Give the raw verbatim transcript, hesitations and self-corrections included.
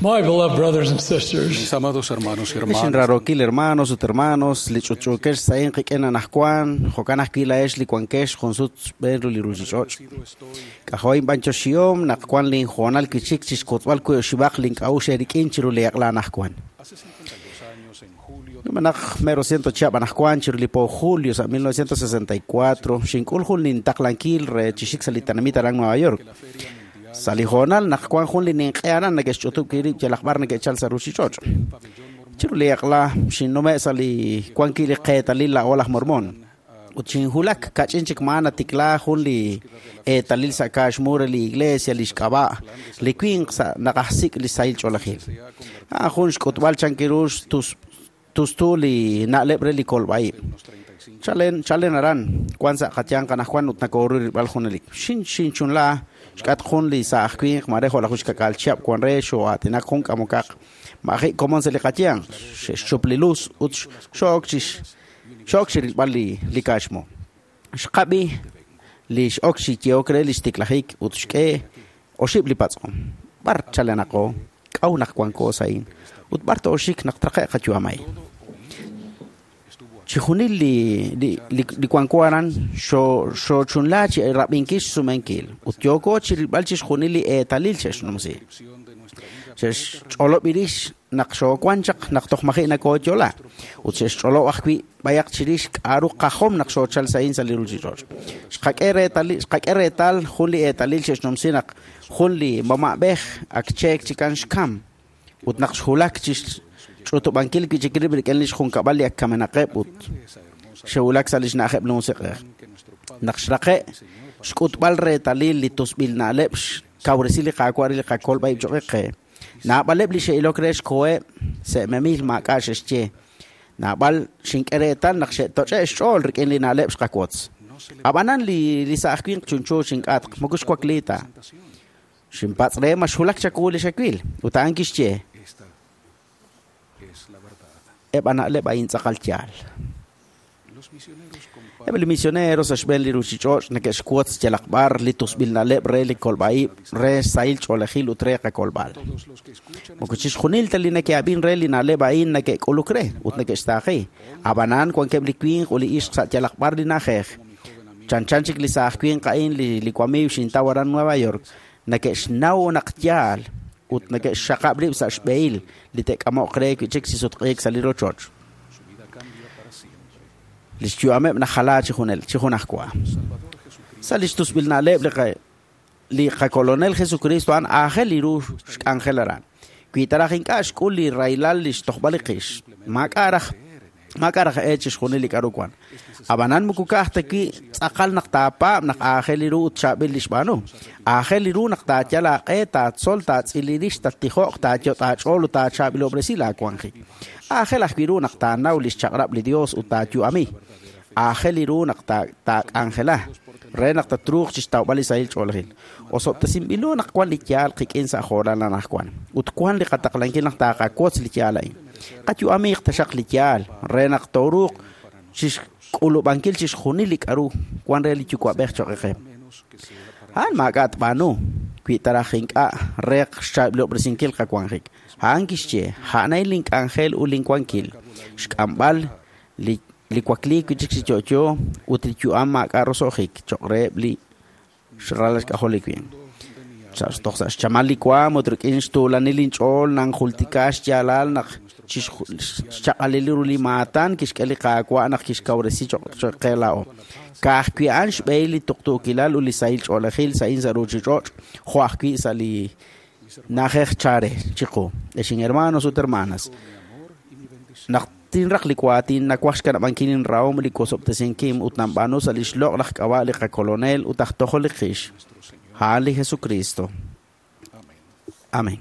My beloved brothers and sisters, Mis amados hermanos y hermanas, Xinrarokil hermanos ut hermanos, li ch'utch'uukex sa'in qik'in anajwan, jo'kan ajwi' la'ex li wankex junsut xb'een ru li ruuchich'och'. K'ajo'in b'anchoxihom naq wan linjoonal kichik chixkotzb'al wi' oxib'aq link'a'uxl eerik'in chiru li aqla anajwan. hace cincuenta y dos años, en julio Numenaq mero ciento chihab' anajwan chiru li po julio sa' mil novecientos sesenta y cuatro, xink'ul jun lintaqlankil re chixik sa' li tenamit aran Nueva York. la Feria Mundial Sa' li joonal naq wan jun li ninq'e aran neke'xch'utub' kirib' yalaq b'ar neke'chal sa' ruuchich'och'. del Pabellón Mormón Chiru li aqla xinnume' sa' li wan ki li qeetalil la'o laj Mormón. Ut xinjulak kach'in chik maa natikla jun li eetalil sa' kaaxmu re li iglesia li xk'ab'a' li winq sa' naqajsik' li sahil ch'oolejil. se ha convertido A'an jun xk'utb'al chankiru xtus- tustu li na'leb' re li kolb'a'ib'. en unos treinta y cinco Chalen, chalen aran, wan sa' qatyanq anajwan ut nakoru rilb'al junelik. Xin xinchunla, xk'at jun li sa' aj winq mare jo' laj uxkak'al chihab' wan re xo'aatinak jun k'amokaq. Ma'ji' komon sa' li qatyanq, xe'xchup li luz ut xo'ok chix xo'ok chi rilb'al li, li kaaxmu. Xqab'i li x'ok chi yeok re li xtiklajik ut xk'e oxib' li patz'om. B'ar chalenaqo, k'aw naq wanko sa'in ut b'ar to'oxik naq traqe' qayu'amay. estuvo Chi junil li li li, li wanko aran xo xochunla chi rab'inkil xsumenkil ut yooko chi rilb'al chi xjunil li eetalil xe'xnumsi. descripción de nuestra vida Xe'xch'olob' irix naq xowan chaq naq toj maji' nakooyola ut xe'xch'olob' ajwi' b'ayaq chirix k'a'ru qajom naq xoochal sa'in sa' li ruuchich'och'. Xqak'e reetalil xqak'e reetal jun li eetalil xe'xnumsi naq jun li mama'b'ej ak cheek chikan xkam ut naq xjulak chi ch'utub'ankil wi' chik rib' rik'in li xjunkab'al li ak kamenaqeb' ut de esa hermosa xe'wulak sa' li xna'ajeb' li musiq'ej. que nuestro Padre Naq xraqe' xk'utb'al reetalil li tusb'il na'leb' xkawresi li qaawa' re li qakolb'a'ib' cho'q qe. Naab'aleb' li xe'ilok re xkoheb' se'memil maak'a' xe'xye. Naab'al xink'e reetal naq xe'toch'e' xch'ool rik'in li na'leb' xqawotz. no se le Ab'anan li li sa' aj winq chunchu xink'atq moko xwakli ta. presentación. Xinpatz' re ma xjulak chawu li xawil ut a'an kixye Esta es la verdad. eb' a na'leb' a'in tz'aqal yaal. Los misioneros Eb' li comparten misioneros sa' xb'een li ruuchich'och' neke'xwotz yalaq b'ar li tusb'il na'leb' re li kolb'a'ib' re sahil ch'oolejil ut re qakolb'al. todos los que escuchan Moko chixjunil ta li neke'ab'in re li na'leb' a'in neke'k'uluk re ut neke'xtaaqi. Ab'anan wankeb' li winq ut li ixq sa' yalaq b'ar li na'ajej. como mi joven amigo Chanchan chik li sa' aj winq a'in li li wamiiw xintaw aran Nueva York neke'xnaw naq yaal ut neke'xxaqab' rib' sa' xb'ehil li te'k'amo'q re wi' chik chi sutq'iik sa' li rochoch. su vida cambia para siempre. Li xyu'ameb' najala chi junel chi junajwa. Salvador Jesucristo Sa' li xtusb'il na'leb' li qa- li qakolonel Jesucristo a'an aajel li ru xk'anjel aran. Wi taraj ink'a' xk'ul li rahilal li xtojb'al li qix. Maak'a' raj maak'a' raj e chixjunil li k'a'ru wan. Ab'anan moko ka'aj ta wi' tz'aqal naq taapaab' naq aajel li ru ut chaab'il li xb'aanu. Aajel li ru naq taayal aaq'e, taatzol, taatz'il li rix, tattijo'q, taayot' aach'ool ut taachaab'ilob'resi laawanjik. Aajel ajwi' ru naq taanaw li xchaq'rab' li Dios ut taayu'ami. Aajel li ru naq ta- taak'anjela re naq tatruuq chixtawb'al li sahil ch'oolejil. Osob'tesinb'ilo naq wan li yaal qik'in sa' joonal anajwan ut wan li qataqlankil naq taaqawotz li yaal a'in. Qayu'amiiq taxaq li yaal re naq tooruuq chixk'ulub'ankil chixjunil li k'a'ru wan re li yuwa'b'ej cho'q qe. menos que sea para A'an maak'a' tb'aanu wi taraj ink'a' req xchaab'ilob'resinkil qawanjik. A'an kixye a'anay link'anjel ut linwankil xk'amb'al li li wakliik wi' chik chi yo'yo ut li yu'am maak'a' roso'jik cho'q reheb' li xralal xk'ajol li winq. de mi alma Sa' toj sa' xchamal li waam ut rik'in xtuulanil inch'ool nanjultika xyaalal naq chixju- xchaq'alil ru li maatan kixk'e li qaawa' naq kixkawresi cho'q cho'q qe laa'o. Ka'ajwi' a'an xb'ehil li tuqtuukilal ut li sahil ch'oolejil sa'in sa' ruuchich'och' jo' ajwi' sa' li na'ajej chare chiqu. Exin hermanos ut hermanas, mi amor y mi bendición. naq tinraq li waatin nawaj xkanab'ankil inrahom li kosob'tesinkim ut nanb'aanu sa' li xloq' laj k'ab'a' li qakolonel ut aj tojol li qix. Nuestro Señor. A'an li Jesucristo. Amén. Amén.